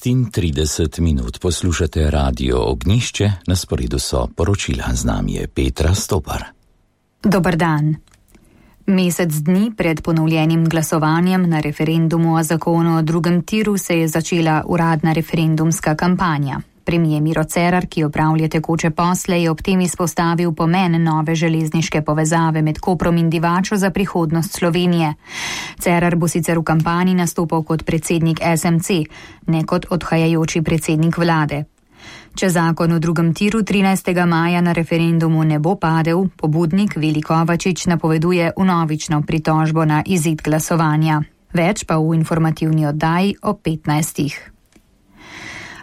30 minut poslušate Radio Ognjišče, na sporedu so poročila, z nami je Petra Stopar. Dober dan. Mesec dni pred ponovljenim glasovanjem na referendumu o zakonu o drugem tiru se je začela uradna referendumska kampanja. Premier Miro Cerar, ki opravlja tekoče posle, je ob tem izpostavil pomen nove železniške povezave med Koprom in Divačo za prihodnost Slovenije. Cerar bo sicer v kampanji nastopal kot predsednik SMC, ne kot odhajajoči predsednik vlade. Če zakon o drugem tiru 13. maja na referendumu ne bo padel, pobudnik Vili Kovačič napoveduje vnovično pritožbo na izid glasovanja. Več pa v informativni oddaji o 15.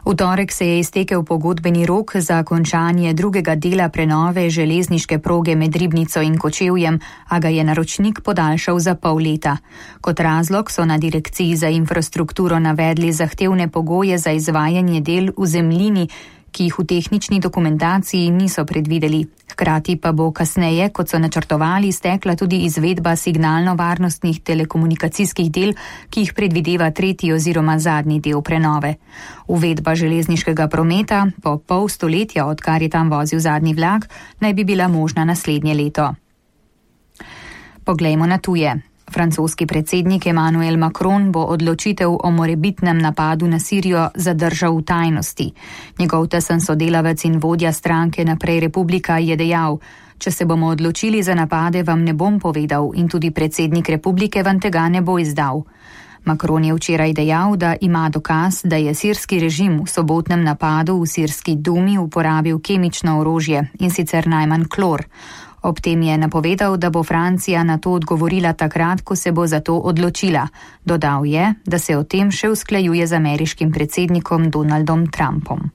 V torek se je iztekel pogodbeni rok za končanje drugega dela prenove železniške proge med Ribnico in Kočevjem, a ga je naročnik podaljšal za pol leta. Kot razlog so na direkciji za infrastrukturo navedli zahtevne pogoje za izvajanje del v zemljini, ki jih v tehnični dokumentaciji niso predvideli. Hkrati pa bo kasneje, kot so načrtovali, stekla tudi izvedba signalno-varnostnih telekomunikacijskih del, ki jih predvideva tretji oziroma zadnji del prenove. Uvedba železniškega prometa po pol stoletja, odkar je tam vozil zadnji vlak, naj bi bila možna naslednje leto. Poglejmo na tuje. Francoski predsednik Emmanuel Macron bo odločitev o morebitnem napadu na Sirijo zadržal v tajnosti. Njegov tesen sodelavec in vodja stranke Naprej Republika je dejal: "Če se bomo odločili za napade, vam ne bom povedal in tudi predsednik republike vam tega ne bo izdal." Macron je včeraj dejal, da ima dokaz, da je sirski režim v sobotnem napadu v sirski Dumi uporabil kemično orožje, in sicer najmanj klor. Ob tem je napovedal, da bo Francija na to odgovorila takrat, ko se bo za to odločila. Dodal je, da se o tem še usklajuje z ameriškim predsednikom Donaldom Trumpom.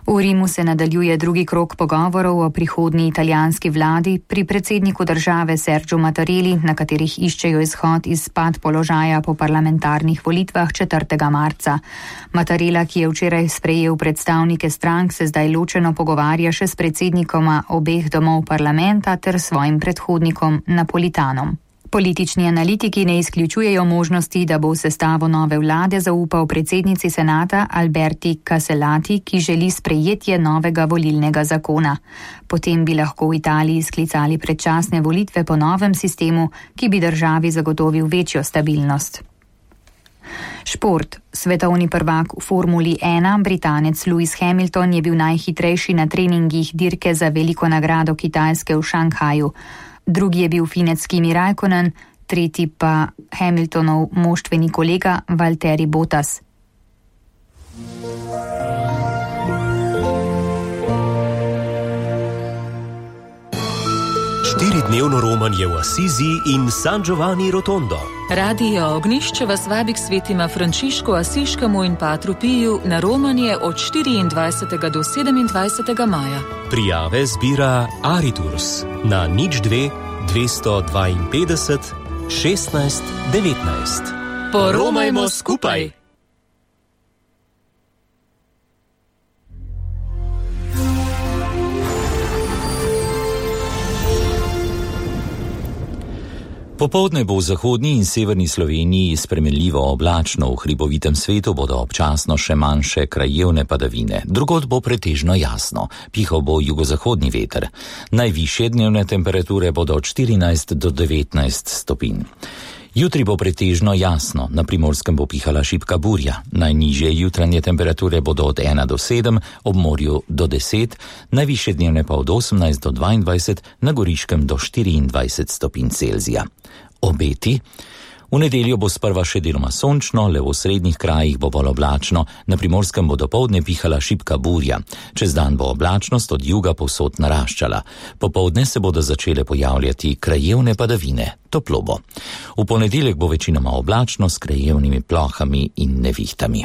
V Rimu se nadaljuje drugi krog pogovorov o prihodnji italijanski vladi pri predsedniku države Sergiu Mattarelli, na katerih iščejo izhod iz pad položaja po parlamentarnih volitvah 4. marca. Mattarella, ki je včeraj sprejel predstavnike strank, se zdaj ločeno pogovarja še s predsednikoma obeh domov parlamenta ter svojim predhodnikom Napolitanom. Politični analitiki ne izključujejo možnosti, da bo v sestavo nove vlade zaupal predsednici senata Alberti Casellati, ki želi sprejetje novega volilnega zakona. Potem bi lahko v Italiji sklicali predčasne volitve po novem sistemu, ki bi državi zagotovil večjo stabilnost. Šport. Svetovni prvak v Formuli 1, Britanec Lewis Hamilton, je bil najhitrejši na treningih dirke za veliko nagrado Kitajske v Šanghaju. Drugi je bil Finec Kimi Räikkönen, tretji pa Hamiltonov moštveni kolega Valtteri Bottas. Štiridnevno romanje v Asizi in San Giovanni Rotondo. Radio Ognjišče vas vabi k svetima Frančišku Asiškemu in Patru Piju na romanje od 24. do 27. maja. Prijave zbira Ariturs na 02 252 16 19. Poromajmo skupaj! Popoldne bo v zahodni in severni Sloveniji spremenljivo oblačno, v hribovitem svetu bodo občasno še manjše krajevne padavine, drugod bo pretežno jasno, pihal bo jugozahodni veter. Najvišje dnevne temperature bodo od 14 do 19 stopinj. Jutri bo pretežno jasno, na Primorskem bo pihala šibka burja, najnižje jutranje temperature bodo od 1 do 7, ob morju do 10, najvišje dnevne pa od 18 do 22, na Goriškem do 24 stopinj Celzija. Obeti. V nedeljo bo sprva še deloma sončno, le v srednjih krajih bo bolj oblačno, na Primorskem bo dopoldne pihala šibka burja. Čez dan bo oblačnost od juga povsod naraščala. Popoldne se bodo začele pojavljati krajevne padavine, toplo bo. V ponedeljek bo večinoma oblačno s krajevnimi plohami in nevihtami.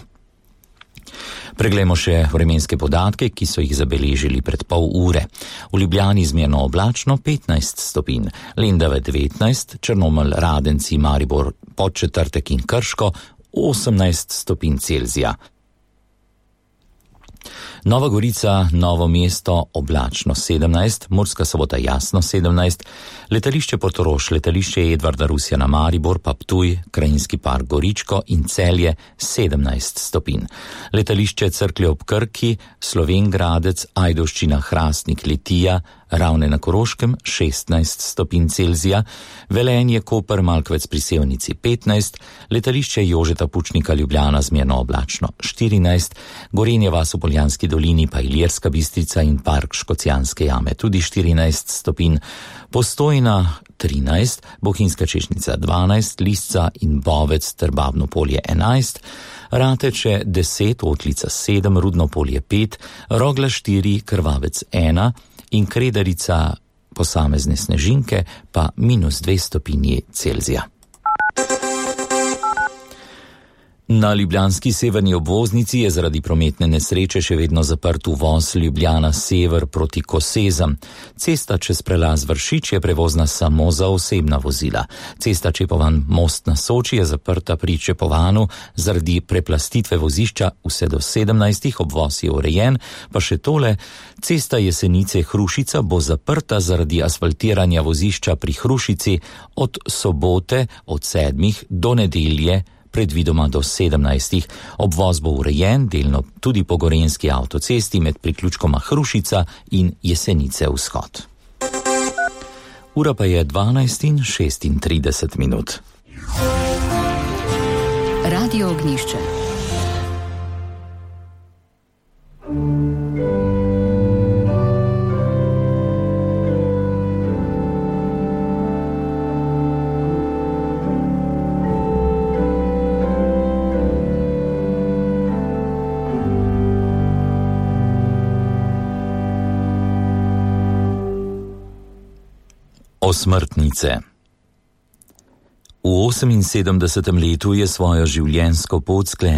Preglejmo še vremenske podatke, ki so jih zabeležili pred pol ure. V Ljubljani zmerno oblačno 15 stopinj, Lendave 19, Črnomelj, Radenci, Maribor, Podčetrtek in Krško 18 stopinj Celzija. Nova Gorica, Novo mesto oblačno 17, Murska Sobota jasno 17, letališče Portorož, letališče Edvarda Rusjana Maribor, pa Ptuj, Krajinski park Goričko in Celje 17 stopinj. Letališče Cerklje ob Krki, Slovenj Gradec, Ajdovščina, Hrastnik, Litija, Ravne na Koroškem 16 stopinj Celzija, Velenje, Koper, Malkovec pri Sevnici 15, letališče Jožeta Pučnika Ljubljana zmerno oblačno 14, Gorenje vas v Poljanski dolini pa Ilirska Bistrica in park Škocjanske jame tudi 14 stopinj, Postojna 13, Bohinjska Češnica 12, Lisca in Bovec ter Babno Polje 11, Rateče 10, Otlica 7, Rudno Polje 5, Rogla 4, Krvavec 1 in Kredarica posamezne snežinke pa -2 stopinji Celzija. Na ljubljanski severni obvoznici je zaradi prometne nesreče še vedno zaprt uvoz Ljubljana sever proti Kosezam. Cesta čez prelaz Vršič je prevozna samo za osebna vozila. Cesta Čepovan Most na Soči je zaprta pri Čepovanu zaradi preplastitve vozišča vse do 17, obvoz je urejen, pa še tole, cesta Jesenice Hrušica bo zaprta zaradi asfaltiranja vozišča pri Hrušici od sobote od 7 do nedelje predvidoma do 17. Obvoz bo urejen delno tudi po gorenjski avtocesti med priključkoma Hrušica in Jesenice vzhod. Ura pa je 12:36. Radio Ognjišče. Osmrtnice. V 78. letu je svojo življenjsko pot sklenil